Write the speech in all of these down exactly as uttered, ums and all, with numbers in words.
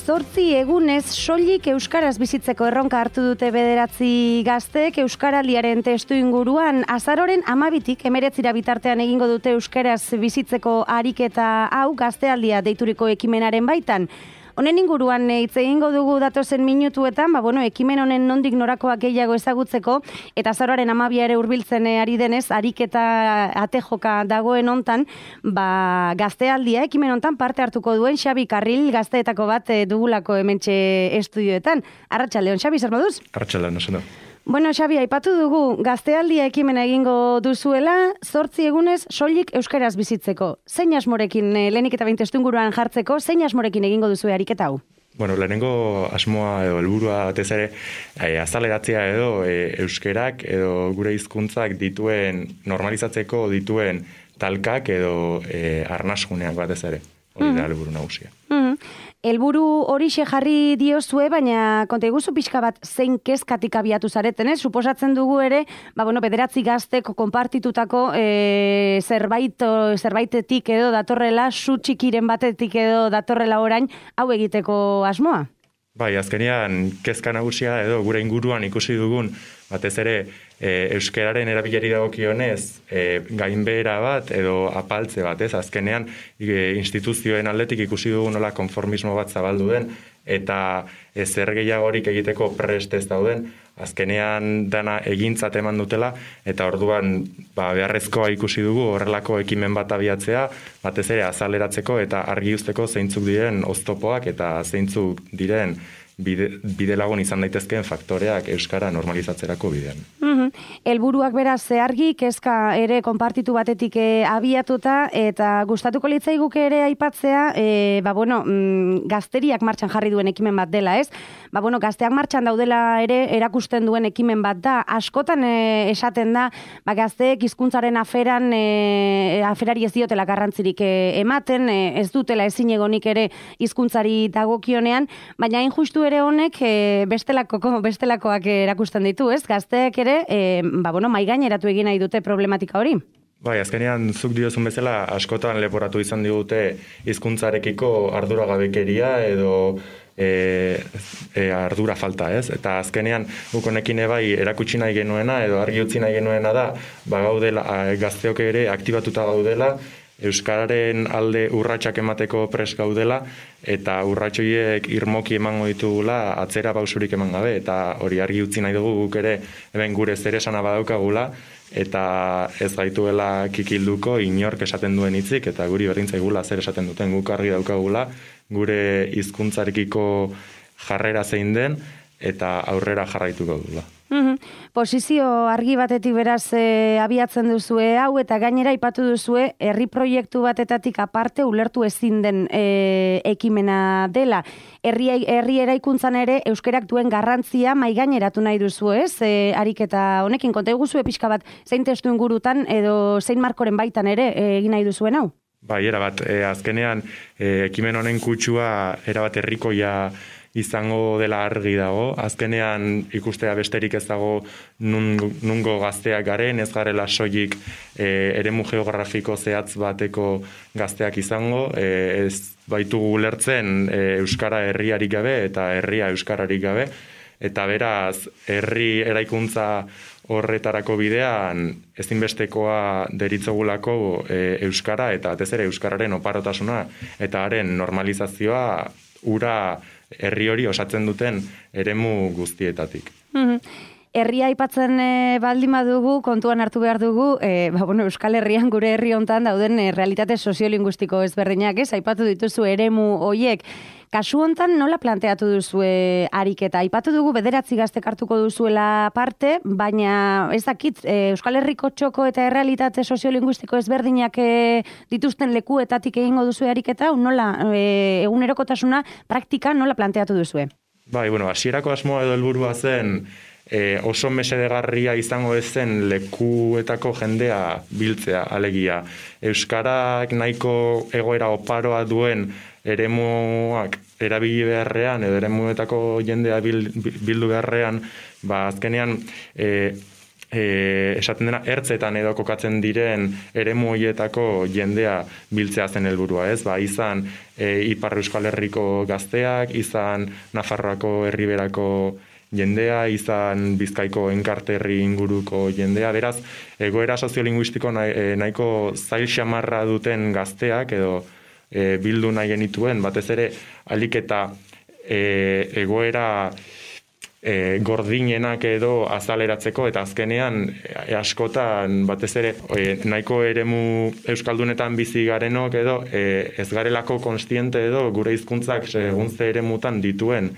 Zortzi egunez soilik euskaraz bizitzeko erronka hartu dute bederatzi gazteek euskaraldiaren testu inguruan. Azaroren hamabitik hemeretzira bitartean egingo dute euskaraz bizitzeko ariketa hau gaztealdia deituriko ekimenaren baitan. Honen inguruan hitz egingo dugu datozen minutuetan, ba, bueno, ekimen honen nondik norakoak gehiago ezagutzeko, eta azaroaren hamabia ere hurbiltzen ari denez, ariketa atejoka dagoen hontan, ba, gaztealdia ekimen hontan parte hartuko duen Xabi Karril gazteetako bat dugulako hementxe estudioetan. Arratsaldeon, Xabi, zer moduz? Arratsaldeon, oso da. Bueno, Xabi, aipatu dugu gaztealdia ekimena egingo duzuela, zortzi egunez soilik euskaraz bizitzeko. Zein asmorekin, lehenik eta behin testuinguruan jartzeko, zein asmorekin egingo duzue ariketa hau? Bueno, lehenengo asmoa edo helburua batez ere e, azaleratzea edo e, euskerak edo gure hizkuntzak dituen normalizatzeko dituen talkak edo e, arnasguneak batez ere. Hori da helburu nagusia. Mm. Helburu horixe jarri diozue, baina konta iguzu pixka bat zein kezkatik abiatu zareten, ez? Suposatzen dugu ere, ba, bueno, bederatzi gaztek konpartitutako e, zerbait, zerbaitetik edo datorrela, su txikiren batetik edo datorrela orain, hau egiteko asmoa? Bai, azkenean kezka nagusia edo gure inguruan ikusi dugun, batez ere e, euskararen erabilari dagokionez e, gainbehera bat edo apaltze bat, ez? Azkenean e, instituzioen aldetik ikusi dugun nola konformismo bat zabaldu den eta e, zer gehiagorik egiteko prest ez dauden, azkenean dana egintzat eman dutela eta orduan ba, beharrezkoa ikusi dugu horrelako ekimen bat abiatzea, batez ere azaleratzeko eta argi uzteko zeintzuk diren oztopoak eta zeintzuk diren bide, bide lagun izan daitezkeen faktoreak euskara normalizatzerako bidean. Mm-hmm. Helburuak beraz argi, kezka ere konpartitu batetik e, abiatuta eta gustatuko litzaiguke ere aipatzea, e, ba bueno, mm, gazteriak martxan jarri duen ekimen bat dela, ez? Ba bueno, gazteak martxan daudela ere erakusten duen ekimen bat da. Askotan e, esaten da, ba gazteek hizkuntzaren aferan e, aferari ez diotela garrantzirik e, ematen, e, ez dutela ezin egonik ere hizkuntzari dagokionean, baina hain justu ere honek e, bestelako, bestelakoak erakusten ditu, ez? Gazteek ere, e, ba bueno, mai gaineratu egin nahi dute problematika hori. Bai, azkenean zuk diozun bezala askotan leporatu izan digute hizkuntzarekiko arduragabekeria edo E, e, ardura falta, ez? Eta azkenean guk honekin bai erakutsi nahi genuena edo argi utzi nahi genuena da, ba gaudela gazteok ere aktibatuta gaudela, euskararen alde urratsak emateko pres gaudela eta urratsoiek irmoki emango ditugula atzera pausurik eman gabe eta hori argi utzi nahi dugu guk ere hemen gure zeresana badaukagula eta ez gaituela kikilduko inork esaten duen hitzik eta guri berdin zaigula zer esaten duten guk argi daukagula gure hizkuntzarekiko jarrera zein den eta aurrera jarraituko dugula. Mm-hmm. Posizio argi batetik beraz e, abiatzen duzue hau eta gainera aipatu duzue herri proiektu batetatik aparte ulertu ezin den e, ekimena dela. Herri, herri eraikuntzan ere euskerak duen garrantzia mai gaineratu nahi duzu, ez? E, ariketa honekin konta iguzue pixka bat zein testu ingurutan edo zein markoren baitan ere e, egin nahi duzuen hau? Bai, erabat, e, azkenean e, ekimen honen kutsua erabat herrikoia izango dela argi dago. Azkenean ikustea besterik ez dago nungo, nungo gazteak garen, ez garela soilik e, eremu geografiko zehatz bateko gazteak izango, e, ez baitugu ulertzen e, euskara herriarik gabe eta herria euskararik gabe, eta beraz herri eraikuntza horretarako bidean ezinbestekoa deritzogulako e, euskara eta batez ere euskararen oparotasuna eta haren normalizazioa ura herri hori osatzen duten eremu guztietatik. Mm-hmm. Herria aipatzen e, baldin badugu, kontuan hartu behar dugu, e, ba, bueno, Euskal Herrian gure herri hontan dauden e, realitate soziolinguistiko ezberdinak, ez? Aipatu dituzu eremu hoiek. Kasu hontan nola planteatu duzue ariketa? Aipatu dugu bederatzi gaztek hartuko duzuela parte, baina ez dakit, e, Euskal Herriko txoko eta errealitate soziolinguistiko ezberdinak e, dituzten lekuetatik egingo duzue ariketa, nola e, egunerokotasuna praktika nola planteatu duzue? Bai, bueno, hasierako asmoa edo helburua zen E, oso mesedegarria izango ezen lekuetako jendea biltzea, alegia. Euskarak nahiko egoera oparoa duen eremuak erabili beharrean, edo eremuetako jendea bil, bildu beharrean, ba azkenean e, e, esaten dena, ertzetan edo kokatzen diren eremu horietako jendea biltzea zen helburua, ez? Ba, izan e, Ipar Euskal Herriko gazteak, izan Nafarroako Herriberako jendea, izan Bizkaiko enkarterri inguruko jendea, beraz, egoera soziolinguistiko nahi, nahiko zail xamarra duten gazteak edo e, bildu nahi genituen, batez ere, alik eta e, egoera E, gordinenak edo azaleratzeko, eta azkenean e, askotan batez ere e, nahiko eremu euskaldunetan bizi garenok edo e, ez garelako konstiente edo gure hizkuntzak segun ze eremutan dituen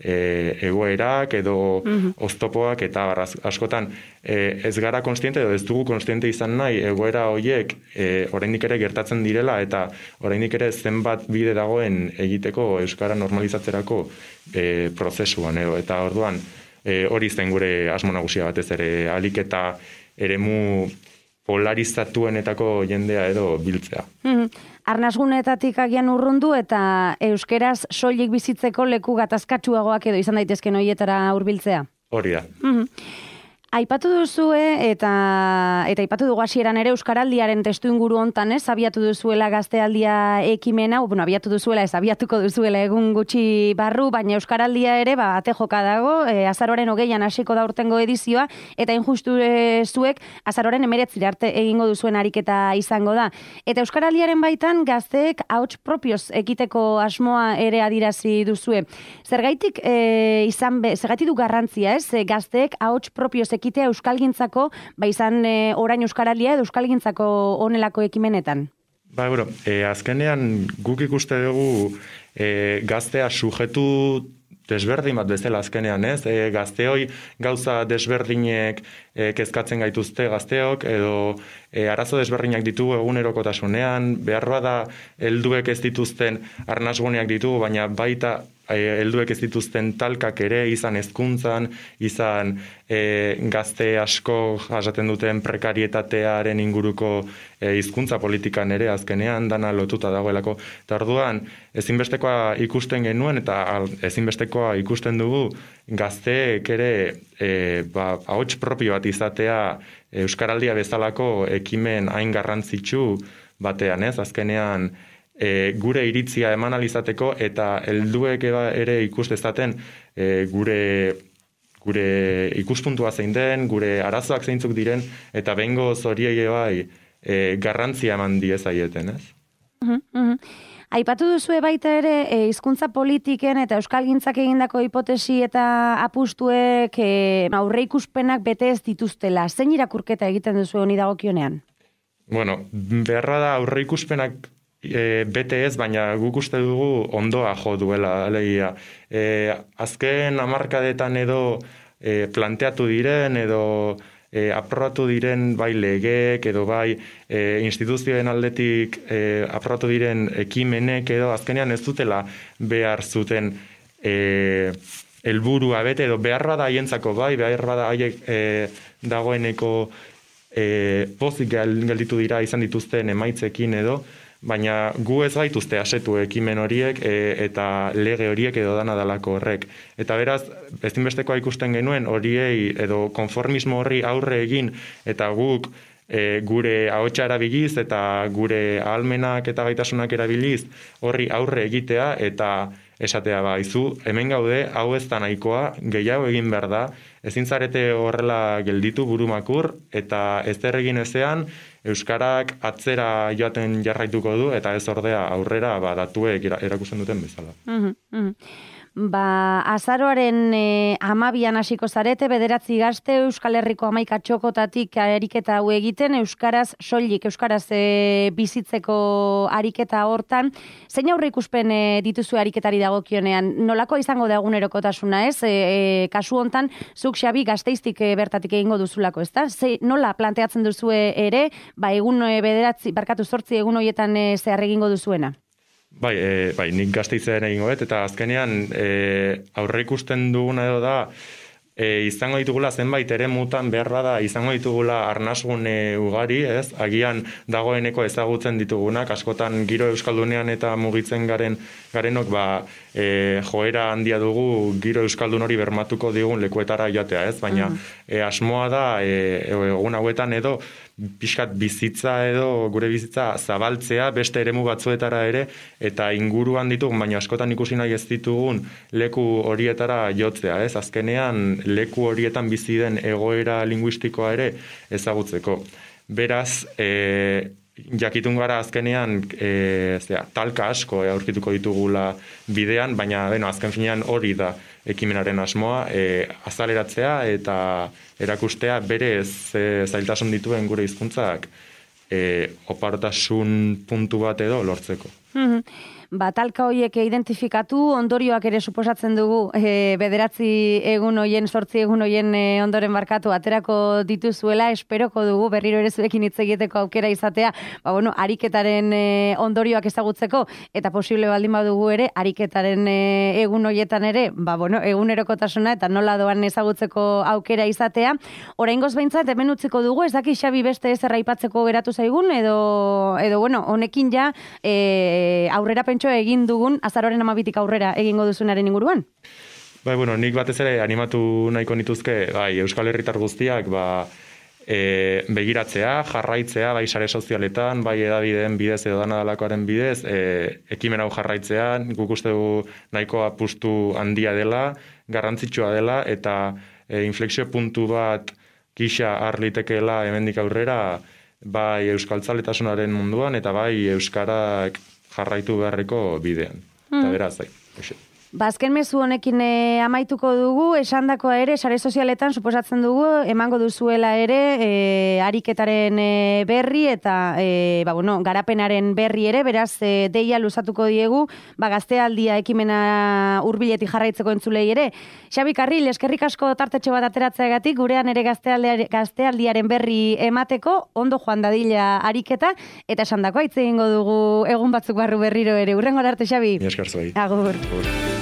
e, egoerak edo mm-hmm. oztopoak eta barraz, askotan e, ez gara konstiente edo ez dugu konstiente izan nahi egoera horiek e, oraindik ere gertatzen direla eta oraindik ere zenbat bide dagoen egiteko euskara normalizatzerako E, prozesuan edo, eta orduan e, hori zen gure asmo nagusia batez ere alik eta eremu polarizatuenetako jendea edo biltzea. Mm-hmm. Arnasgunetatik agian urrundu eta euskeraz soilik bizitzeko leku gatazkatsuagoak edo izan daitezken horietara hurbiltzea. Hori da. Mm-hmm. Aipatu duzue eta eta aipatu dugu hasieran ere euskaraldiaren testuinguru hontan, ez? Abiatu duzuela gaztealdia ekimena, bueno, abiatu duzuela, ez abiatuko duzuela egun gutxi barru, baina euskaraldia ere ba ate joka dago, e, azaroaren hogeian hasiko da urtengo edizioa eta injustu e, zuek azaroaren hemeretzira arte egingo duzuen ariketa izango da. Eta euskaraldiaren baitan gazteek ahots propioz ekiteko asmoa ere adirazi duzue. Zergaitik e, izan be, zergaitik du garrantzia, ez? E, gazteek ahots propioz ekitea euskalgintzako, ba izan e, orain euskaraldia edo euskalgintzako honelako ekimenetan? Ba, bero, e, azkenean guk ikuste dugu e, gaztea sujetu desberdin bat bezala azkenean, ez? E, gazteoi gauza desberdinek e, kezkatzen gaituzte gazteok, edo e, arazo desberdinak ditugu egunerokotasunean, behar bada helduek ez dituzten arnasguneak ditugu, baina baita helduek ez dituzten talkak ere, izan hezkuntzan, izan e, gazte asko jasaten duten prekarietatearen inguruko e, hizkuntza politikan ere azkenean dana lotuta dagoelako. Eta orduan, ezinbestekoa ikusten genuen eta ezinbestekoa ikusten dugu gazteek ere e, ba, ahots propio bat izatea euskaraldia bezalako ekimen hain garrantzitsu batean, ez? Azkenean, E, gure iritzia eman alizateko eta helduek ere ikustezaten e, gure, gure ikuspuntua zein den, gure arazoak zeintzuk diren, eta behingo zoriei bai e, garrantzia eman diezaieten, ez? Uh-huh, uh-huh. Aipatu duzue baita ere hizkuntza politiken eta euskalgintzak egindako hipotesi eta apustuek e, aurreikuspenak bete ez dituztela. Zein irakurketa egiten duzu honi dagokionean? Bueno, beharra da aurreikuspenak E, bete ez, baina guk uste dugu ondoa jo duela, alegia. E, azken hamarkadetan edo e, planteatu diren edo e, aprobatu diren bai legeek edo bai e, instituzioen aldetik e, aprobatu diren ekimenek edo azkenean ez dutela behar zuten e, helburua bete edo behar bada haientzako bai, behar bada haiek e, dagoeneko e, pozik gelditu dira izan dituzten emaitzekin edo, baina gu ez gaituzte asetu ekimen horiek e, eta lege horiek edo dana dalako horrek. Eta beraz, ezinbestekoa ikusten genuen horiei edo konformismo horri aurre egin eta guk e, gure ahotsa erabiliz eta gure ahalmenak eta gaitasunak erabiliz horri aurre egitea eta esatea ba, izu, hemen gaude, hau ez da nahikoa, gehiago egin behar da, ezin zarete horrela gelditu burumakur eta ez egin ezean, euskarak atzera joaten jarraituko du eta ez ordea aurrera ba, datuek erakusten duten bezala. Uh-huh, uh-huh. Ba, azaroaren e, amabian hasiko zarete, bederatzi gazte Euskal Herriko hamaika txokotatik ariketa hau egiten, euskaraz soilik, euskaraz e, bizitzeko ariketa hortan. Zein aurre ikuspen e, dituzu ariketari dagokionean? Nolako izango da egunerokotasuna, ez? E, e, kasu hontan, zuk Xabi gazteiztik e, bertatik egingo duzulako, ez da? Ze, nola planteatzen duzue ere, ba, egun e, bederatzi, barkatu zortzi egun horietan e, zehar egingo duzuena? Bai, e, bai, nik gazteizen egingo bet, eta azkenean e, aurre ikusten duguna edo da, E, izango ditugula zenbait ere mutan beharra da, izango ditugula arnasgune ugari, ez? Agian dagoeneko ezagutzen ditugunak, askotan giro euskaldunean eta mugitzen garen garenok, ba, e, joera handia dugu giro euskaldun hori bermatuko digun lekuetara joatea, ez? Baina mm. e, asmoa da, e, egun hauetan edo, pixkat bizitza edo gure bizitza zabaltzea beste eremu batzuetara ere eta inguruan ditugun, baina askotan ikusi nahi ez ditugun leku horietara jotzea, ez? Azkenean leku horietan bizi den egoera linguistikoa ere ezagutzeko. Beraz, e, jakitun gara azkenean e, zera, talka asko aurkituko ditugula bidean, baina beno, azken finean hori da ekimenaren asmoa, e, azaleratzea eta erakustea berez e, zailtasun dituen gure hizkuntzak e, oparotasun puntu bat edo lortzeko. Mm-hmm. Ba, talka horiek identifikatu, ondorioak ere suposatzen dugu, e, bederatzi egun hoien, sortzi egun hoien e, ondoren barkatu aterako dituzuela, esperoko dugu berriro ere zuekin hitz egiteko aukera izatea, ba, bueno, ariketaren e, ondorioak ezagutzeko, eta posible baldin badugu ere, ariketaren e, egun hoietan ere, ba, bueno, egunerokotasuna eta nola doan ezagutzeko aukera izatea. Oraingoz behintzat, hemen utziko dugu, ez daki Xabi beste ez erraipatzeko geratu zaigun, edo, edo bueno, honekin ja, e, aurrera pentsu egin dugun azaroren amabitik aurrera egingo duzunaren inguruan? Bai, bueno, nik batez ere animatu nahiko nituzke, bai, Euskal Herritar guztiak, ba, e, begiratzea, jarraitzea, bai sare sozialetan, bai edabideen bidez edo dana dalakoaren bidez, e, ekimen hau jarraitzea, guk uste dugu nahiko apustu handia dela, garrantzitsua dela, eta e, inflexio puntu bat gisa har litekeela hemendik aurrera, bai euskaltzaletasunaren munduan, eta bai euskarak jarraitu beharreko bidean. Mm. Eta beraz, zai. Ba, azken mezu honekin e, amaituko dugu, esandakoa ere, sare sozialetan suposatzen dugu, emango duzuela ere, e, ariketaren e, berri eta e, ba, bueno, garapenaren berri ere, beraz, e, deia luzatuko diegu, ba, gaztealdia ekimena hurbiletik jarraitzeko entzulei ere. Xabi Karril, eskerrik asko tartetxo bat ateratzeagatik, gurean ere gaztealdiaren berri emateko, ondo joan dadila ariketa, eta esandakoa hitz egingo dugu egun batzuk barru berriro ere. Hurrengo arte, Xabi. Mi esker zuei. Agur. Agur.